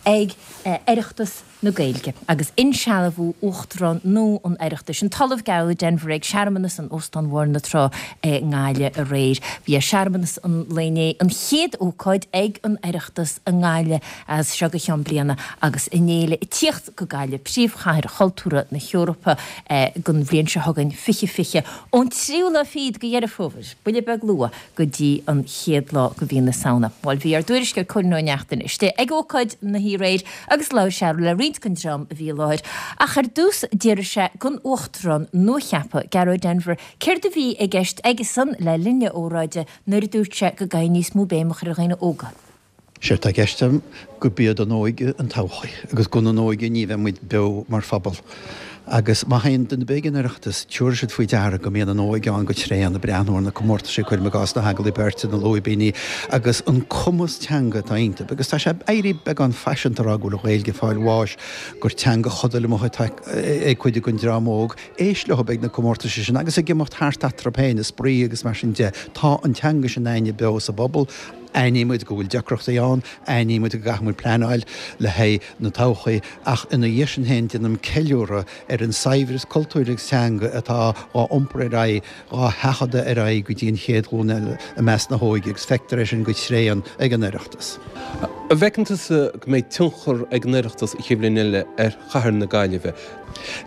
ag Oireachtas na Gaeilge agus insealbhú Uachtarán nua an Oireachtais, an tOllamh Gearóid Denvir ag searmanas in Óstán Bhóthar na Trá i nGaillimh aréir. Bhí searmanas an lae inné an chéad ócáid ag an Oireachtas i nGaillimh as seo go ceann bliana agus an fhéile ag tíocht go Gaillimh, príomhchathair chultúrtha na hEorpa don bhliain seo chugainn, 2020, ón tríú lá fichead de Dheireadh Fómhair, buille beag luath, go dtí an chéad lá de mhí na Samhna. Bhuel, bhí ár dtuairisceoir Cóilín Ó Neachtain istigh ag ócáid na hoíche aréir agus labhair sé le roinnt den dream a bhí i láthair. Ach ar dtús d'fhiafraigh sé den Uachtarán nuacheaptha, Gearóid Denvir, céard a bhí i gceist aigesan le linn a óráide nuair a dúirt sé go gcaithfidh níos mó béim a chur ar dhaoine óga. Séard tá i gceist agam gurb iad an óige an todhchaí agus gan an óige ní bheidh muid beo mar phobal. Agus má théann duine ar bith ag an Oireachtas tiúrfaidh siad faoi deara go mbíonn an óige ann go tréan ag breathnú ar na comórtaisí, cuirim i gcás na hagallaimh beirte, na lúibíní agus an cumas teanga atá iontu. Agus tá sé ag éirí beagán faiseanta a rá go bhfuil an Ghaeilge ag fáil bháis, gur teanga chodail amuigh atá ag cuid den dream óg. Éist leo ag na comórtaisí sin agus ag imeacht thart eatarthu féin, ag spraoi agus mar sin de. Tá an teanga sin againne beo sa bpobal. Aithnímid go bhfuil deacrachtaí ann, aithnímid go gcaithfidh muid pleanáil le haghaidh na todhchaí, ach ina dhiaidh sin féin déanaim ceiliúradh ar an saibhreas cultúir agus teanga atá á iompar ar aghaidh, á sheachadadh ar aghaidh go dtí an chéad ghlúin eile i measc na hóige agus feictear é sin go tréan ag an Oireachtas. An bhfeiceann tusa go mbeidh tionchar ag an Oireachtas an chéad bhliain eile ar chathair na Gaillimhe?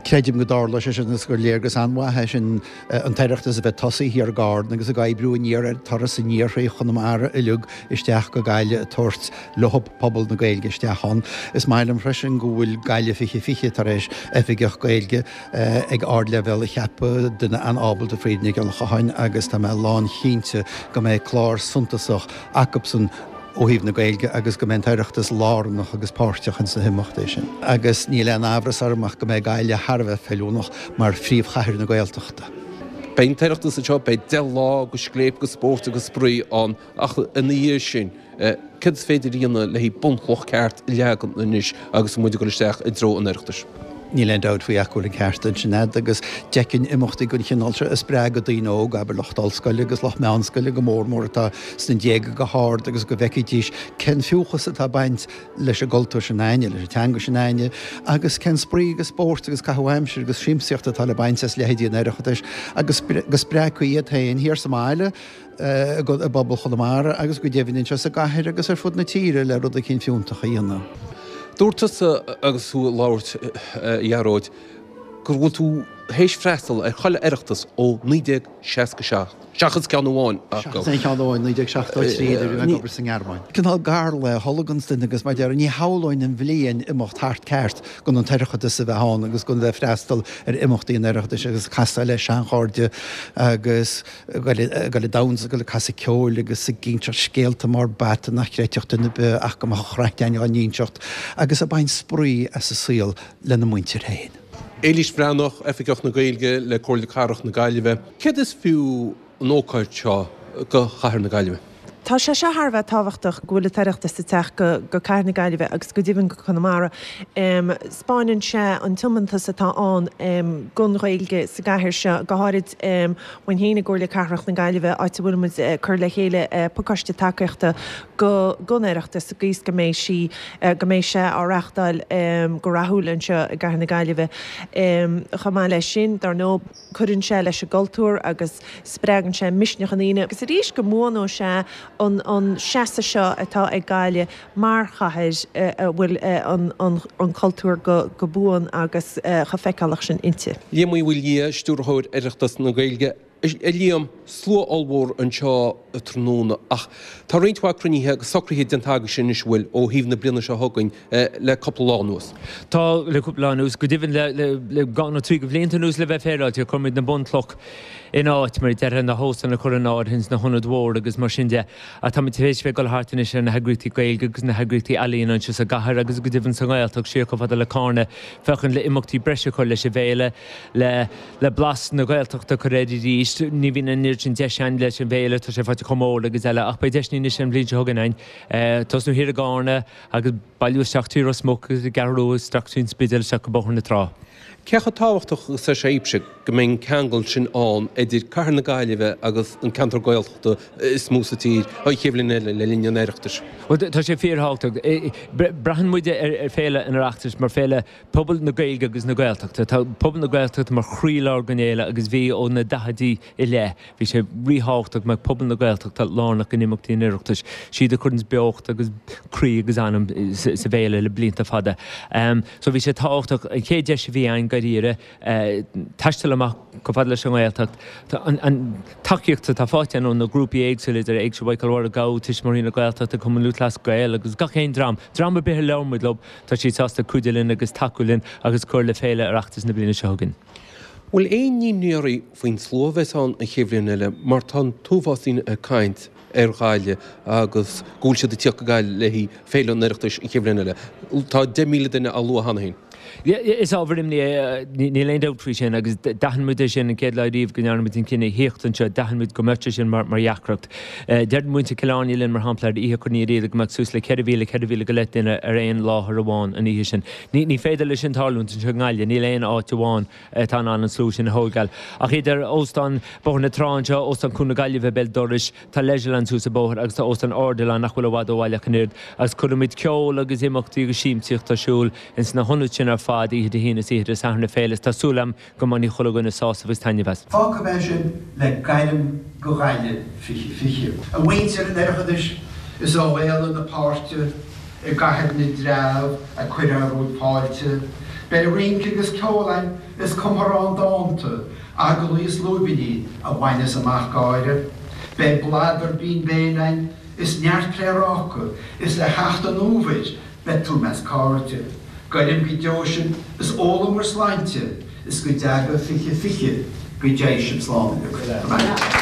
Creidim go dtarlóidh sé sin agus gur léargas an-mhaith é sin an tOireachtas a bheith tosaithe thiar i gCarna agus ag oibriú aniar ar turas aniar thrí Chonamara uilig isteach go Gaillimh ag tabhairt leo pobal na Gaeilge isteach ann. Is maith liom freisin go bhfuil Gaillimh 2020 tar éis oifigeach Gaeilge ag ardleibhéal a cheapadh, duine an-ábalta, Frida Nic Giolla Chotháin, agus tá mé lánchinnte go mbeidh clár suntasach acubsan ó thaobh na Gaeilge agus go mbeidh an tOireachtas lárnach agus páirteach ins na himeachtaí sin. Agus níl aon amhras orm ach go mbeidh Gaillimh thar a bheith feiliúnach mar phríomhchathair na Gaeltachta. Beidh an tOireachtas anseo, beidh 10 lá de scléip, de spórt agus spraoi ann ach ina dhiaidh sin, céard is féidir a dhéanamh le haghaidh bunchloch ceart a leagan anois agus muid ag dul isteach i dtreo an Oireachtais? Níl aon dabht faoi ach go bhfuil an ceart ansin a'd agus d'fheicfinn imeachtaí den chineál seo ag spreagadh daoine óga, abair lucht ollscoile agus lucht meánscoile go mór mór atá sna déaga go hard agus go bhfeicfidís cén fiúchas atá ag baint leis an gcultúr sin a'inne, leis an teanga sin a'inne agus cén spraoi agus spórt agus caitheamh aimsire agus siamsaíocht atá le baint as leithéidí an Oireachtais agus go spreagfaí iad féin thiar sa mbaile i bpobal Chonamara agus go deimhin anseo sa gcathair agus ar fud na tíre le rud eicínt fiúntach a dhéanamh. Dúirt tusa agus tú ag labhairt, a Ghearóid, go bhfuil tú théis freastal ar chuile Oireachtas ó 1967, seachas ceann amháin acu. Seachas aon cheann amháin, 1973, nuair a bhí mé ag obair sa nGearmáin. Cineál garlaí a tholganns duine agus mar a déarfá, ní shamhlóinn an bhliain imeacht thart ceart gan an tOireachtas a bheith ann agus gan bheith ag freastal ar imeachtaí an Oireachtais agus casadh le seanchairde agus ag dul ag damhsa, ag dul ag casadh ceoil agus ag inseacht scéalta mar b'fheata nach gcreidfeadh duine ar bith ach go mbeadh an chraic againn á n-inseacht agus ag baint spraoi as an saol lena muintir féin. Éilís Bhreathnach, Oifigeach na Gaeilge le Comhairle Cathrach na Gaillimhe. Céard is fiú an ócáid seo do chathair na Gaillimhe? Tá sé seo thar a bheith tábhachtach go bhfuil an tOireachtas ag teacht go Cathair na Gaillimhe agus go deimhin go Conamara. 'Spáineann sé an tiomantas atá ann don Ghaeilge sa gcathair seo, go háirid uainn féin i gComhairle Cathrach na Gaillimhe, áit a bhfuil muid ag cur le chéile pacáiste tacaíochta don Oireachtas sa gcaoi is go mbeidh sí, go mbeidh sé á reáchtáil go rathúil anseo i gCathair na Gaillimhe. Chomh maith leis sin, dar ndóigh, Cuireann sé leis an gcultúr agus spreagann sé misneach i ndaoine agus arís go mbuanóidh sé an an seasamh seo atá ag Gaillimh mar chathair a bhfuil an cultúr go buan agus chomh feiceálach sin inti. Liam Uí Mhaoildhia, Stiúrthóir Oireachtas na Gaeilge. A Liam, slua ollmhór anseo tráthnóna ach tá roinnt mhaith cruinnithe agus socruithe déanta agaibhse anois, an bhfuil, ó thaobh na bliana seo chugainn le cúpla lá anuas. Tá, le cúpla lá anuas. Go deimhin le dhá nó trí de bhlianta anuas le bheith féaráilte, chuir muid na bunchloch in áit, mar a déarfá, na hóstáin a chur in áirithe ins na hionaid mhóra agus mar sin de. Ach táimid tar éis bheith ag dul thart anois ar na heagraíochtaí Gaeilge agus na heagraíochtaí ealaíon anseo sa gcathair agus go deimhin sa nGaeltacht, siar chomh fada le Cárna, féachaint le imeachtaí breise a chur leis an bhféile, le le blas na Gaeltachta a chur air arís. Ní bhíonn an oiread sin deis againn leis an bhféile, tá sé faighte chomh mór agus eile, ach beidh deiseanna anois an bhliain seo chugainn againn tosnú thiar i gCárna agus bailiú isteach trí Ros Muc agus an gCeathrú Rua isteach trín Spidéal isteach go Bóthar na Trá. Cé chomh tábhachtach agus atá sé daoibhse go mbeidh an ceangal sin ann idir cathair na Gaillimhe agus an ceantar Gaeltachta is mó sa tír an chéad bhliain eile le linn an Oireachtais? Bhuel, tá sé fíorthábhachtach. Braitheann muid ar Féile an Oireachtais mar féile pobal na Gaeilge agus na Gaeltachta. Tá pobal na Gaeltachta mar chroílár den fhéile agus bhí ó na daichidí i leith. Bhí sé ríthábhachtach go mbeadh pobal na Gaeltachta lárnach in imeachtaí an Oireachtais. Siad a chuireanns beocht agus croí agus anam sa bhféile le blianta fada. So bhí sé tábhachtach, an chéad deis a bhí againn dáiríre, taisteal amach chomh fada leis an nGaeltacht. An tacaíocht atá faighte againn ó na grúpaí éagsúla, idir Éigse Mhichael Mháire Ghabha, Tuismitheoirí na Gaeltachta, Cumann Lúthchleas Gael agus gach aon dream, dream ar bith a labhair muid leo, tá siad sásta cuidiú linn agus tacú linn agus cur le Féile Oireachtas na bliana seo chugainn. Bhfuil aon imní oraibh faoin slua a bheas ann an chéad bhliain eile mar tá an t-uafás daoine ag caint ar Ghaillimh agus go bhfuil siad ag tíocht go Gaillimh le haghaidh Féile an Oireachtais an chéad bhliain eile. Tá 10,000 duine á lua cheana féin. Is ábhar imní é, níl aon dabht faoi sin agus d'aithin muid é sin an chéad lá riamh go ndearna muid an cinneadh thíocht anseo, d'aithin muid go mbeadh sé sin mar dheacracht. Deir muintir Chill Airne linn mar shampla ar oíche Chorn Uí Riada go mbeadh suas le 4,000, 4,000 go leith duine ar aon láthair amháin an oíche sin. Ní féidir leis sin tarlúint anseo i nGaillimh, níl aon áit amháin atá in ann an slua sin a thógáil. Ach idir Óstán Bhóthar na Trá anseo, Óstán Chuan na Gaillimhe béal dorais, tá Leisureland suas an bóthar agus tá Óstán Ardilaun nach bhfuil i bhfad ó bhaile ach an oiread, agus cuirfimid ceol agus imeachtaí agus siamsaíocht ar siúl ins na hionaid sin ar fad oíche Dé hAoine is oíche Dé Sathairn na féile is tá súil agam go mbainfidh chuile dhuine sásamh agus taitneamh as. Fágfaidh mé sibh le gairm go Gaillimh 2020. A mhuintir an Oireachtais, is ó Fhéile na Páirte i gCathair na dTreabh a cuireadh romhaibh fáilte. Beidh rince agus ceol a'inn is cumtha dánta, agallaimh is lúibíní a bhaineas amach gáire. Beidh bladar binn béil a'inn is neart pléaráca is le theacht an fhómhair beidh tú 'measc cairde. Goirim go deo sibh is ólaim bhur sláinte is go dteaga 2020 go dté sibh slán uilig.